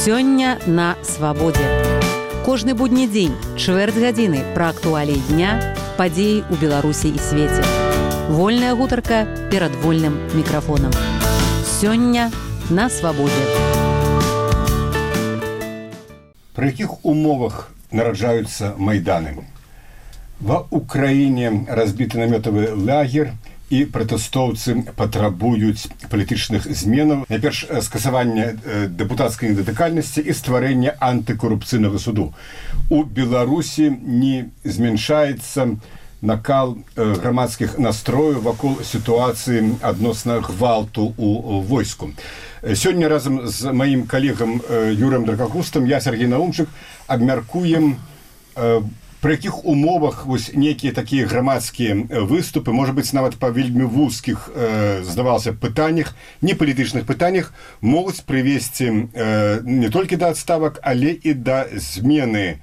Сёння на свабодзе. Кожны будні дзень, чвэрць гадзіны пра актуаліі дня, падзеі ў Беларусі і свеце. Вольная гутарка перад вольным мікрафонам. Сёння на свабодзе. Пры якіх умовах нараджаюцца майданы? Ва Украіне разбіты намётавы лагер, і пратэстоўцы патрабуюць палітычных зменаў, найперш скасавання дэпутацкай недатыкальнасці і стварэння антыкарупцыйнага суду. У Беларусі не змяншаецца накал грамадскіх настрояў вакол сітуацыі адносна гвалту ў войску. Сёння разам з маім калегам Юрыем Дракакустам я, Сергей Наумчык, абмяркуем пры якіх умовах некія такія грамадскія выступы, можа быць, нават па вельмі вузкіх, здавалася, пытаннях, не палітычных пытаннях, могуць прывесці не толькі да адставак, але і да змены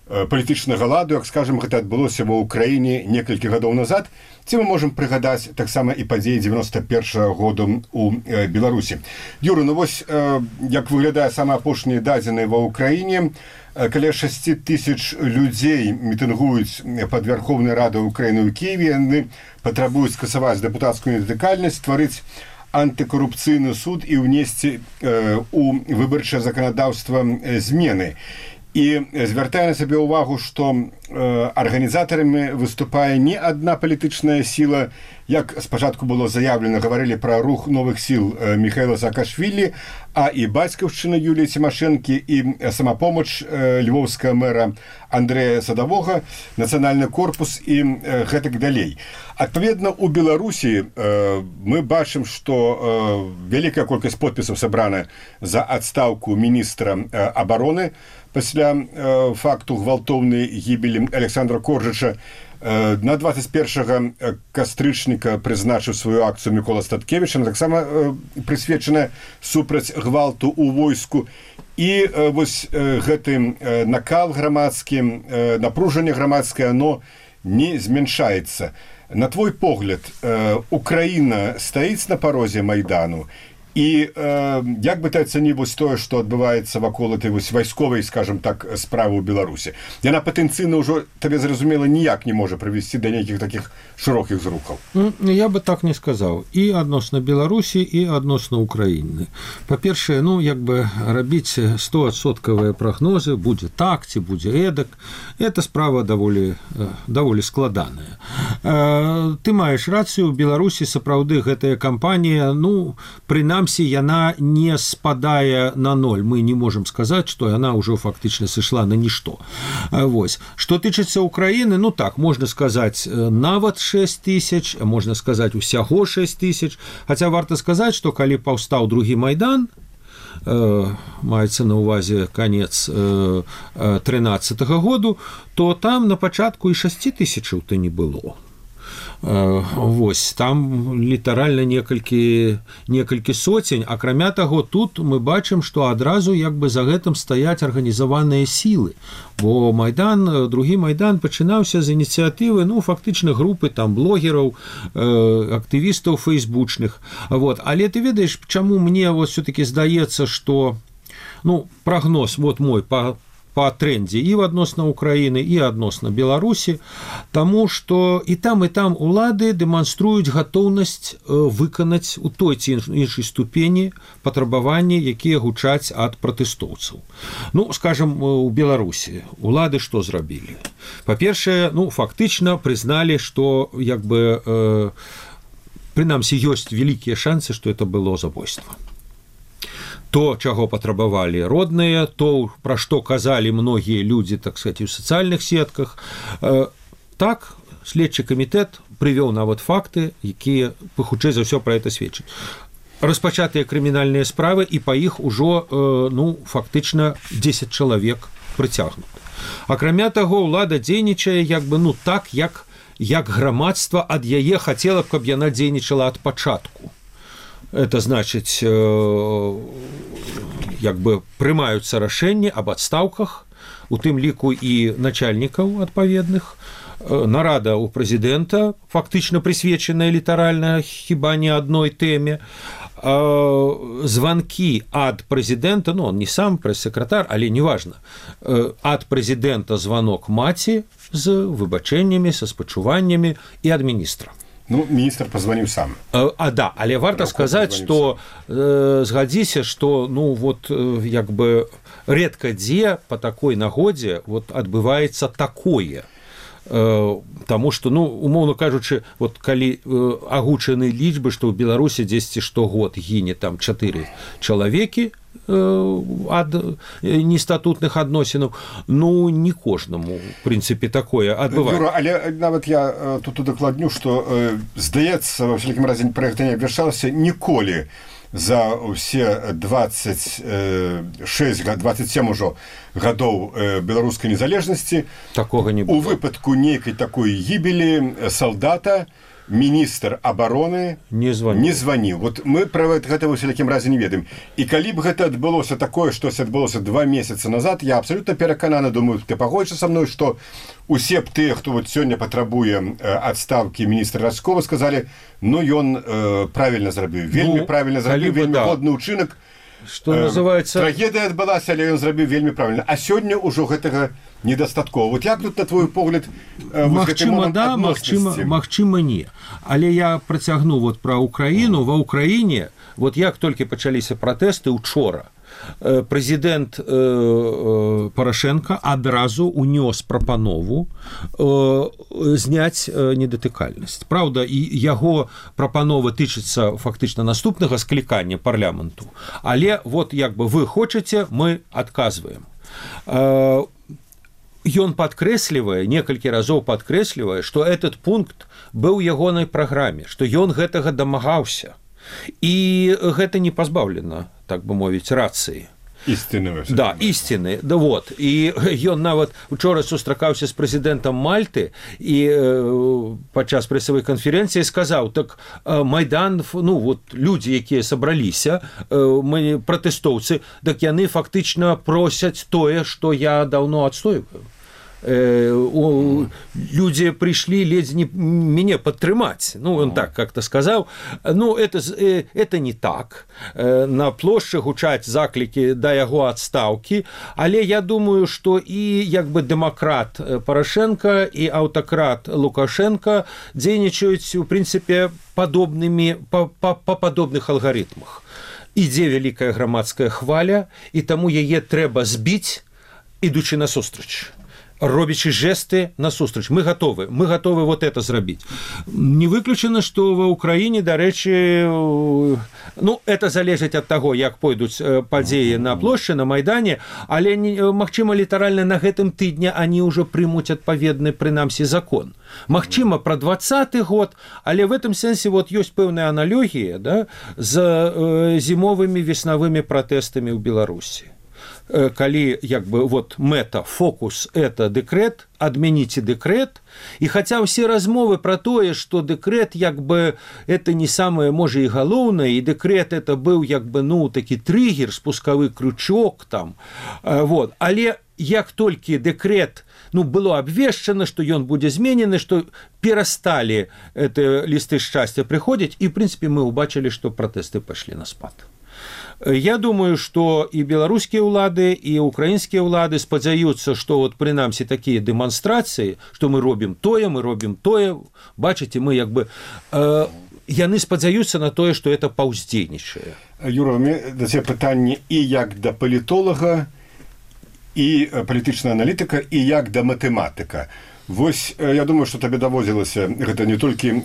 палітычнага ладу, як, скажам, гэта адбылося ва ўкраіне некалькі гадоў назад, ці мы можам прыгадаць таксама і падзеі 91-го году ў Беларусі. Юра, ну вось, як выглядае самыя апошнія дадзеныя ва ўкраіне, каля 6 тысяч людзей мітынгуюць пад Верховнай Радай Украіны ў Кіеве, яны патрабуюць скасаваць дэпутацкую недатыкальнасць, стварыць антыкарупцыйны суд і ўнесці ў выбарчае заканадаўства змены. І звяртае на сабе ўвагу, што арганізатарамі выступае не адна палітычная сіла, як спачатку было заявлена, гаварылі пра рух новых сіл Міхаіла Саакашвілі, а і бацькаўшчына Юліі Цімашэнкі, і самапомач львоўскага мэра Андрэя Садавога, нацыянальны корпус і гэтак далей. Адпаведна, у Беларусі мы бачым, што вялікая колькасць подпісаў сабрана за адстаўку міністра абароны пасля факту гвалтоўнай гібелі Александра Коржыча. На 21 кастрычніка прызначыў сваю акцыю Мікола Статкевіч, она таксама прысвечана супраць гвалту ў войску. І вось гэты накал грамадскі, напружанне грамадскае, оно не змяншаецца. На твой погляд, Украіна стаіць на парозе Майдану? І як бы ты ацаніў тое, што адбываецца вакол этой вайсковай, скажем так, справы ў Беларусі? Яна патэнцыйна ўжо, табе зразумела, ніяк не можа прывесці да нейкіх такіх шырокіх зрухаў. Я бы так не сказаў. І адносна Беларусі, і адносна Украіны. Па-першае, як бы рабіць 100% прагнозы, будзе так ці будзе эдак, это справа даволі складаная. Ты маеш рацыю, у Беларусі сапраўды гэтая кампанія, прынамсі, яна не спадае на ноль. Мы не можам сказаць, што яна ўжо фактычна сышла на нішто. Вось. Што тычыцца Украіны, так, можна сказаць нават 6 тысяч, можна сказаць усяго 6 тысяч, хаця варта сказаць, што калі паўстаў другі Майдан, маецца на ўвазе канец 13-го году, то там на пачатку і 6 тысячаў то не было. Вось, там літаральна некалькі соцень, акрамя таго, тут мы бачым, што адразу як бы за гэтым стаяць арганізаваныя сілы, бо Майдан, другі Майдан пачынаўся з ініцыятывы, фактычна групы там блогераў, актывістаў фейсбучных. Вот. Але ты ведаеш, чаму мне все-таки здаецца, што прагноз мой по трендзе і адносна Украіны, і адносна Беларусі, таму што і там улады дэманструюць гатоўнасць выканаць у той ці іншай ступені патрабаванні, якія гучаць ад пратэстоўцаў. Скажам, у Беларусі улады што зрабілі? Па-першае, фактычна прызналі, што як бы прынамсі ёсць вялікія шансы, што это было забойства. То, чаго патрабавалі родныя, то, пра што казалі многія людзі, так сказаць, у сацыяльных сетках. Так, следчы камітэт прывёў нават факты, якія, хутчэй за ўсё, пра гэта сведчаць. Распачатыя крымінальныя справы, і па іх ужо, фактычна 10 чалавек прыцягнуты. Акрамя таго, ўлада дзейнічае як бы, так, як грамадства ад яе хацела б, каб яна дзейнічала ад пачатку. Это значыць, як бы прымаюцца рашэнні аб адстаўках, у тым ліку і начальнікаў адпаведных, нарада у прэзідэнта, фактычна прысвечаная літаральна хіба не адной тэме, званкі ад прэзідэнта, ну, он не сам прэс-сакратар, але неважна, ад прэзідэнта званок маці з выбачэннямі, са спачуваннямі і ад міністра. Ну, міністр пазваніў сам. Да, але варта сказаць, што згадзіся, што, ну, вот, як бы, рэдка дзе па такой нагодзе вот адбываецца такое. Таму што, ну, умоўна кажучы, вот калі агучаны лічбы, што ў Беларусі дзесьці штогод гіне там 4 чалавекі ад нестатутных адносінаў, ну, не кожнаму, в прынцыпе, такое адбываецца. Юра, але нават я тут удакладню, што, здаецца, ва ўсякім разе пра гэта не абвяшчалася ніколі за ўсе 27 ўжо гадоў беларускай незалежнасці такога не было. У выпадку нейкай такой гібелі салдата міністр абароны не званіў. Вот мы пра гэта ў усялякім разе не ведаем. І калі б гэта адбылося такое, штось адбылося 2 месяцы назад, я абсалютна перакананы, думаю, ты пагодзішся са мной, што усе б тыя, хто вот сёння патрабуе адстаўкі міністра Раскова, сказалі, ну, ён правільна зрабіў, вельмі правільна зрабіў, вельмі годны ўчынак. Што называецца... Трагедыя адбылася, але ён зрабіў вельмі правільна. А сёння ўжо гэтага недастаткова. Вот як тут, на твой погляд, магчыма, да, магчыма, не. Але я працягну вот пра Украіну. Ва Ўкраіне, вот як толькі пачаліся пратэсты учора, прэзідэнт Парашенко адразу унёс прапанову зняць недатыкальнасць. Праўда, і яго прапанова тычыцца фактычна наступнага склікання парламенту. Але вот як бы вы хочаце, мы адказваем. Ён падкрэслівае, некалькі разоў падкрэслівае, што этот пункт быў у ягонай праграме, што ён гэтага дамагаўся. І гэта не пазбаўлена, так бы мовіць, рацыі. Істыны. Да, істыны. Да, вот. І ён нават учора сустракаўся з прэзідэнтам Мальты і падчас прэсавай канферэнцыі сказаў, так Майдан, ну, вот, людзі, якія сабраліся, пратэстоўцы, так яны фактычна просяць тое, што я даўно адстойваю. Люди пришли ледзь не меня падтрымаць. Ну, он так как-то сказал. Ну, это не так. На плошчы гучаць заклікі да яго адстаўкі, але я думаю, што і як бы дэмакрат Парашенко і аўтакрат Лукашенко дзейнічаюць, у прынцыпе, падобнымі па падобных алгарытмах. Ідзе вялікая грамадская хваля, і таму яе трэба збіць, ідучы насустрач. Робячы жесты насустрач. Мы готовы вот это зрабіць. Не выключана, што ва Ўкраіне, дарэчы, ну, это залежыць ад таго, як пойдуць падзеі на плошчы, на Майдане, але, магчыма, літаральна на гэтым тыдні они ўжо прымуць адпаведны, прынамсі, закон. Магчыма, пра 20-й год, але в этом сэнсе вот ёсць пэўная аналогія, да, з зімовымі веснавымі пратэстамі ў Беларусі. Калі як бы вот мэта, фокус это дэкрэт, адмяніце дэкрэт, і хаця ўсе размовы пра тое, што дэкрэт як бы это не самае можа і галоўнае, і дэкрэт это быў як бы, ну, такі трыгер, спускавы крючок там, вот. Але як толькі дэкрэт, ну, было абвешчана, што ён будзе зменены, што перасталі это лісты шчасця прыходзіць, і в прынцыпе мы ўбачылі, што пратэсты пайшлі на спад. Я думаю, што і беларускія ўлады, і украінскія ўлады спадзяюцца, што вот прынамсі такія дэманстрацыі, што мы робім тое, бачыце, мы як бы яны спадзяюцца на тое, што это паўздзейнічае. Юра, да цябе пытанне і як да палітолага, і палітычнага аналітыка, і як да матэматыка. Вось, я думаю, што табе даводзілася гэта не толькі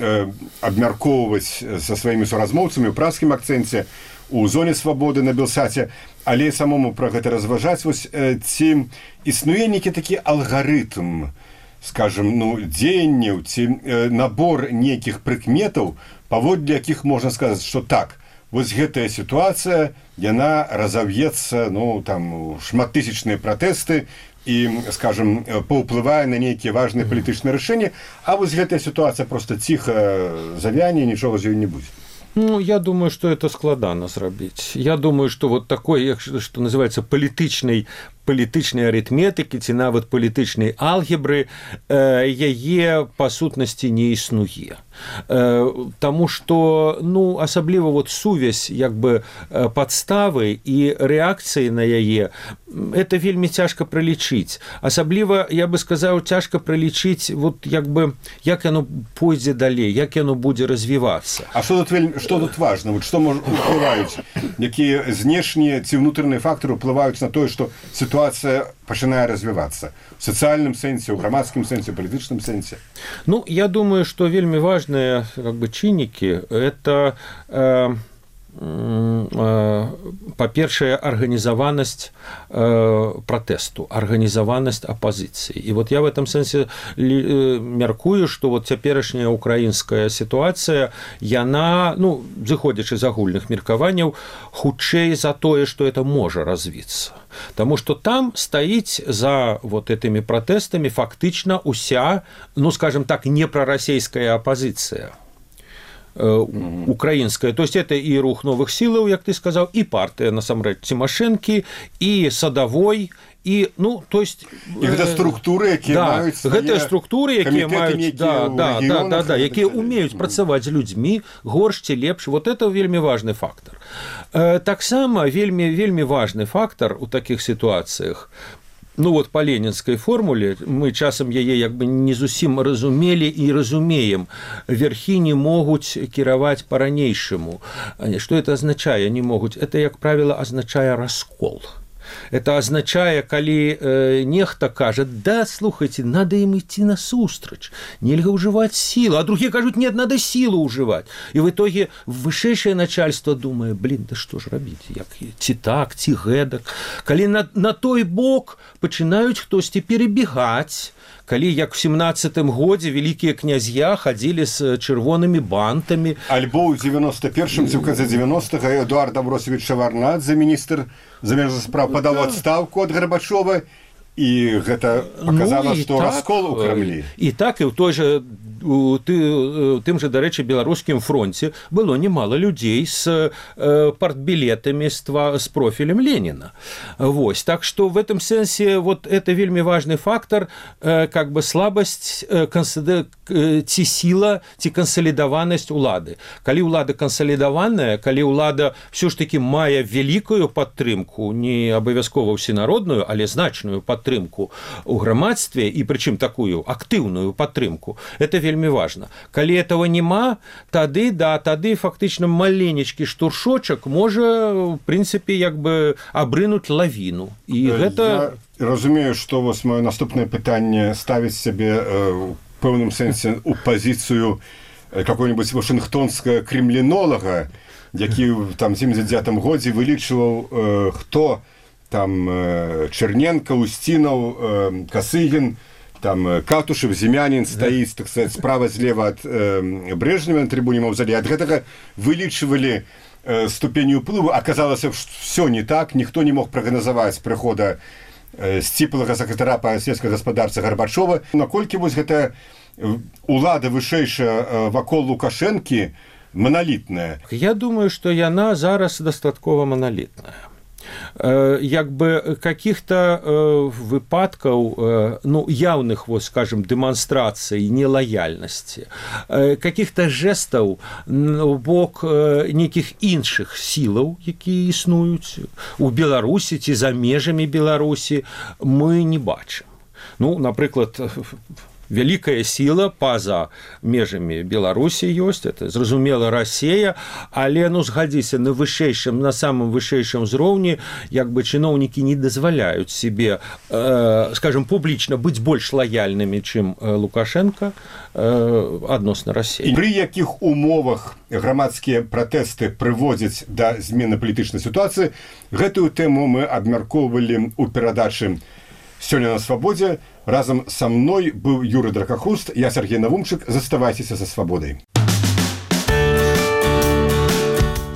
абмяркоўваць са сваімі суразмоўцамі ў праскім акцэнце, у зоне свабоды на Белсаце, але самому пра гэта разважаць, вось, ці існуе нейкі такі алгарытм, скажем, ну, дзеянняў, ці набор нейкіх прыкметаў, паводле якіх можна сказаць, што так, вось гэтая сітуацыя, яна разав'ецца, ну, там, шматтысячныя пратэсты, і, скажем, паўплывае на нейкія важныя палітычныя рашэнні, а вось гэтая сітуацыя проста ціха завяне, нічога з ёй не будзе. Ну, я думаю, что это складана зрабіць. Я думаю, что вот такой, что называется, палітычнай палітычнай арытметыкі ці нават палітычнай алгебры яе па сутнасці не існуе. Таму што асабліва сувязь як бы падставы і рэакцыі на яе это вельмі цяжка пралічыць. Асабліва, я бы сказаў, цяжка пралічыць як яно пойдзе далей, як яно будзе развівацца. А што тут важна? Што ўплываюць? Якія знешнія ці ўнутраныя фактары ўплываюць на тое, што сітуацыя пачынае развівацца? У сацыяльным сэнсе, у грамадскім сэнсе, у палітычным сэнсе? Я думаю, што вельмі важныя чыннікі – это па-першае, арганізаванасць пратэсту, арганізаванасць апазіцыі. І я в этом сэнсе мяркую, што цяперашняя украінская сітуацыя, яна, зыходзячы з агульных меркаванняў, хутчэй за тое, што это можа развіцца. Таму што там стаіць за этымі пратэстамі фактычна уся, скажем так, непрарасейская апазіцыя. Украінская. То есть это і рух новых сілаў, як ты сказаў, і партыя, насамрэч, Цімашэнкі, і Садавой, і, то есть... І гэта структуры, якія маюць свае... Гэтыя структуры, якія маюць... якія умеюць працаваць з людзьмі, горш ці лепш. Это вельмі важны фактар. Таксама вельмі важны фактар у такіх сітуацыях, па ленінскай формуле, мы часам яе не зусім разумелі і разумеем. Верхі не могуць кіраваць па-ранейшаму. Што это азначае? Не могуць. Это, як правіла, азначае раскол. Это означае, калі нехта кажа, да, слухайте, надо им идти насустрач, нельга ўжываць силу, а другие кажуць, нет, надо силу ўжываць. И в итоге вышэйшае начальство думае, да што ж рабіць, ці так, ці гэтак. Калі на той бок пачынаюць хтосьці перебегаць, калі, як в 17-м годзе, вялікія князья хадзілі з чырвонымі бантамі. Альбо ў 91-м, ці ў канцы 90-га, Эдуард Амбросевич Шаварнадзе, міністр замежных спраў, падаў адстаўку ад Гарбачова, і гэта паказала, што раскол у Крамлі. І так, і ў той жа тым же, дарэчы, беларускім фронце было немало людзей з партбілетамі з профілем Леніна. Так што в этом сэнсе это вельмі важны фактар, как бы слабасць ці сіла, ці кансалідаванасць улады. Калі ўлада кансалідаваная, калі ўлада ўсё ж таки мае вялікую падтрымку, не абавязкова ўсенародную, але значную падтрымку ў грамадстве, і прычым такую актыўную падтрымку, это вельмі важна. Калі этого няма, тады фактычна маленечкі штуршочак можа, в прынцыпе, як бы абрынуць лавіну. І гэта... Я разумею, што маё наступнае пытанне ставіць сябе ў пэўным сэнсе у пазіцыю какой-нибудь вашынгтонскага кремлінолага, які в 79-м годзе вылічваў, хто там Черненко, Устинов, Косыгин, там Катушев, Зимянин стоит, так сказать, справа-злева от Брежнева на трибуне Мавзолея. От гэтага вылічвалі ступень уплыву. Оказалось, что все не так. Никто не мог прогнозовать прихода сціплага сакратара па сельскай гаспадарцы Гарбачова. Наколькі гэта улада вышэйшая вакол Лукашэнкі монолітная? Я думаю, што яна зараз дастаткова монолітная. Як бы каких-то выпадкаў, явных, скажем, дэманстрацый нелаяльнасці, каких-то жестаў у бок нейкіх іншых сілаў, якія існуюць у Беларусі ці за межамі Беларусі, мы не бачым. Напрыклад, вялікая сіла па-за межамі Беларусі ёсць, это, зразумела, Расія, але, згадзіся, на самым вышэйшым узроўні, як бы чыноўнікі не дазваляюць себе, скажем, публічна быць больш лаяльнымі, чым Лукашенко адносна Расіі. Пры якіх умовах грамадскія пратэсты прыводзяць да змены палітычнай сітуацыі, гэтую тэму мы абмяркоўвалі ў перадачы «Сёння на свабодзе». Разом со мной был Юрий Дракохвост, я Сергей Навумчык. Заставайцеся за свабодай.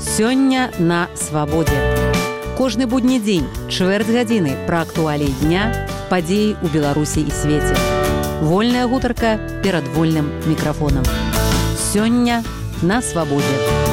Сёння на свабодзе. Кожны будні дзень, чвэрць гадзіны пра актуаліі дня, падзеі ў Беларусі і свеце. Вольная гутарка перад вольным мікрафонам. Сёння на свабодзе.